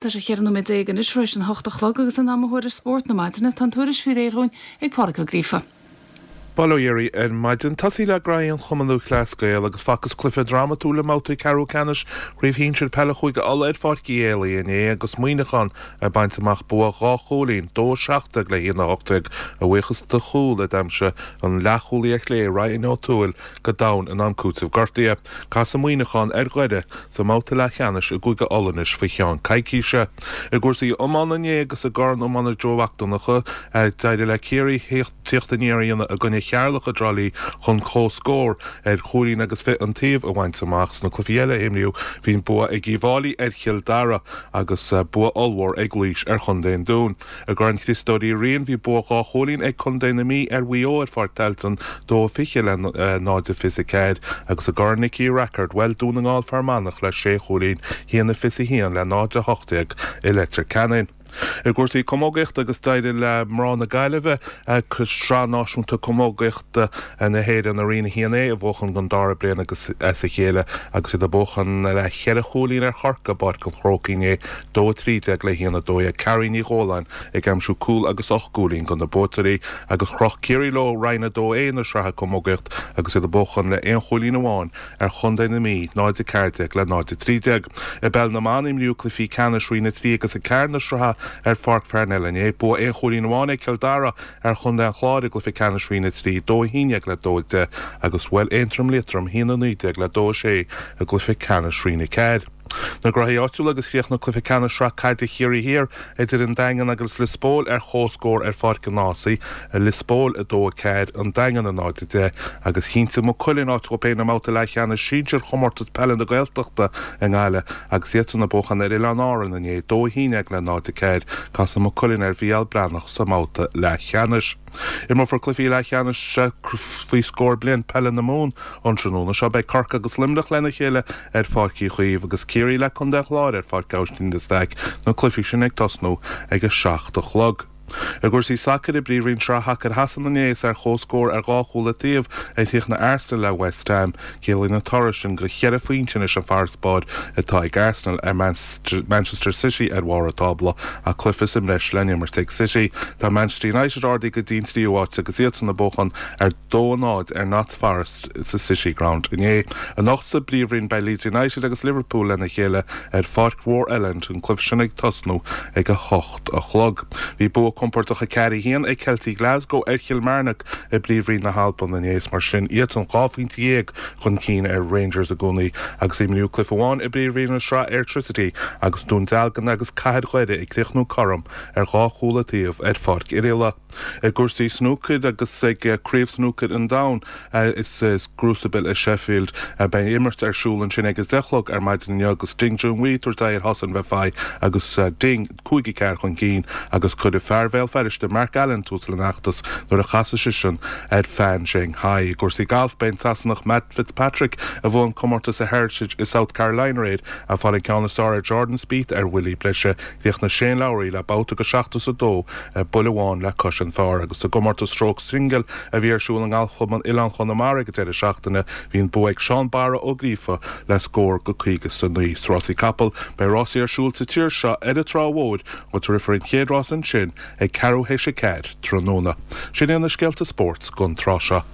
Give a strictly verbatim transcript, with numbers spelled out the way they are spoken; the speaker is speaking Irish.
Tá sé cheithre nóiméad déag anois tar éis an hocht a chlog agus in am a thuairisc spóirt na maidine tá an tuairisc faoi réir dhúinn ag Pádraig Ó Gríofa. Bail ó Dhia oraibh ar maidin tosaí le graí an Chumann Lúthchleas Gael agus facthas cluiche drámatúil i mbabhtaí ceathrú ceannais Chraobh Shinsir Peile Chúige Uladh ar Pháirc Uí Éalaí inné agus Muineachán ag baint amach bua dhá chúilín dó a seacht déag le haon a hocht déag a bhuíochas do chúl a d'aimsigh an leathchúlaí ar chlé Ryan O'Toole go domhain in am cúitimh gortaithe. Casfaidh Muineachán ar Dhoire sa mbabhta leathcheannais i gCúige Uladh anois faoi cheann coicíse. I gcúrsaí iomána inné agus i gCorn Iomána Joe Mhac Donncha d'éirigh le Ciarraí tíocht aniar a dhéanamh i gcoinne Cheatharlach i dTrá Lí chun comhscór ar chúilín agus fiche an taobh a bhaint amach. Sna cluichí eile a imríodh bhí an bua ag Uíbh Fhailí ar Chill Dara agus bua ollmhór ag Laois ar Chontae an Dúin. I gCorn Chriostóir Uí Riain bhí bua dhá chúilín ag Contae na Mí ar Mhaigh Eo ar Pháirc Tailteann dó fiche le náid fiche ceathair agus i gCorn Nicky Rackard bhuail Dún na nGall Fear Manach le sé chúilín haon a fiche haon le náid a hocht déag i Leitir Ceanainn. I gcúrsaí camógaíochta agus d'éirigh le mná na Gaillimhe Sraith Náisiúnta Camógaíochta na hÉireann i Roinn a haon A a bhuachan don dara bliain agus as a chéile agus iad ag buachan le ceithre chúilín ar Chorcaigh i bPáirc an Chrócaigh inné dó a trí déag le haon a dó dhéag Carrie Ní Dhóláin ag aimsiú cúl agus ocht gcúilín do na buaiteoirí agus chroch Ciarraí leo Roinn a dó A na sraithe camógaíocht agus iad ag buachan le aon chúilín amháin ar Chontae na Mí náid a ceathair déag le náid a trí déag. I bpeil na mban imríodh cluichí ceannais Roinn a trí agus a ceathair na sraithe ar Pháirc Pharnell inné. Bua aon chúilín amháin ag Cill Dara ar Chontae an Chláir i gcluiche ceannais Roinn a trí, dó a haon déag le dó a deich agus bhuail Aontroim Liatroim haon a naoi déag le dó a sé i gcluiche ceannais Roinn a ceathair. Na gnóthaí áitiúla agus chríochnaigh cluiche ceannais Shraith Caide Chiarraí Thiar idir an Daingean agus Lios Póil ar comhscór ar Pháirc an Ághasaigh, Lios Póil a dó a ceathair, An Daingean a náid a deich, agus chinntigh Maigh Cuilinn áit dhóibh féin i mbabhta leathcheannais sinsir Chomórtas Peile na Gaeltachta i nGaillimh agus iadsan ag buachan ar Oileáin Árann inné, dó a haon déag le náid a ceathair. Casfaidh Maigh Cuilinn ar Mhícheál Breathnach sa mbabhta leathcheannais. Imreofar cluichí leathcheannais faoi scór bliain peile na Mumhan an tráthnóna seo. Beidh Corcaigh agus Luimneach lena chéile ar Pháirc Uí Chaoimh agus Ciarraí le Contae an Chláir ar Pháirc Aibhistín de Staic, na cluichí sin ag tosnú ag a seacht a chlog. I gcúrsaí sacair i bPríomhroinn Shraith Shacair Shasana inné is ar chomhscór ar dhá chúl an taobh a chríochnaigh Arsenal le West Ham. Ciallaíonn an toradh sin gur cheithre phointe anois an farasbarr atá ag Arsenal ar Manchester City ar bharr an tábla ach cluiche sa mbreis le n-imirt ag City. Tá Manchester United ardaithe go dtí an tríú háit agus iadsan ag buachan ar dó a náid ar Notts Forest sa City Ground inné. Anocht sa bPríomhroinn beidh Leeds United agus Liverpool lena chéile ar Pháirc Mhór Elland, an cluiche sin ag tosnú ag a hocht a chlog. Bhí bua compordach a ceathair a haon ag Celtic Glasgow ar Kilmarnock i bPríomhroinn na hAlban inné is mar sin iadsan dhá phointe dhéag chun cinn ar Rangers i gcónaí agus imríodh cluiche amháin i bPríomhroinn na Sraithe Airtricity agus Dún Dealgan agus Cathair Dhoire ag críochnú cothrom ar dhá chúl an taobh ar Pháirc Oirialla. I gcúrsaí snúcair agus ag Craobh Snúcair an Domhain is gCrucible i Sheffield beidh imirt ar siúl ansin ag a deich a chlog ar maidin inniu agus Ding Junhui ag tabhairt aghaidh ar Hossein Vafaei agus Ding cúig a ceathair chun cinn agus cuirfidh fear Bhéal Feirste Mark Allen tús lena fheachtas nuair a chasfaidh seisean ar Fan Zhengyi. I gcúrsaí gailf beidh an Sasanach Matt Fitzpatrick a bhuaigh an comórtas i Heritage i South Carolina aréir ag fáil an ceann is fearr ar Jordan Spieth ar bhuillí breise. Chríochnaigh Shane Lowry le babhta go seachtó is a dó buille amháin le cois an phar agus sa gcomórtas stróc singil a bhí ar siúl i nGalfchlub an Oileáin Chonamara ag an deireadh seachtaine bhí an bua ag Seán Barra Ó Gríofa le scór go caoga is a naoi. Sna rásaí capall beidh rásaí ar siúl sa tír seo ar an Trá Mhór agus rithfear an chéad rás ansin ag ceathrú théis a ceathair tráthnóna. Sin iad na scéalta spóirt don tráth seo.